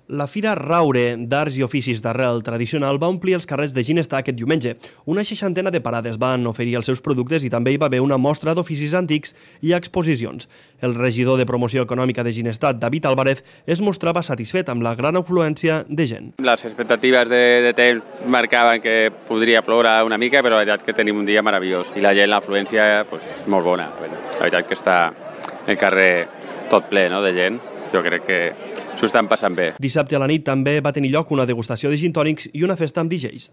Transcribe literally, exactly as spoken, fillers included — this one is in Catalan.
La Fira Raure d'Arts i Oficis d'Arrel Tradicional va omplir els carrers de Ginestar aquest diumenge. Una seixantena de parades van oferir els seus productes i també hi va haver una mostra d'oficis antics i exposicions. El regidor de Promoció Econòmica de Ginestar, David Álvarez, es mostrava satisfet amb la gran afluència de gent. Les expectatives de, de temps marcaven que podria ploure una mica, però la veritat que tenim un dia meravellós i la gent, l'afluència, pues, és molt bona. La veritat que està el carrer tot ple, no?, de gent. Jo crec que s'ho estan passant bé. Dissabte a la nit també va tenir lloc una degustació de gin tònics i una festa amb D Js.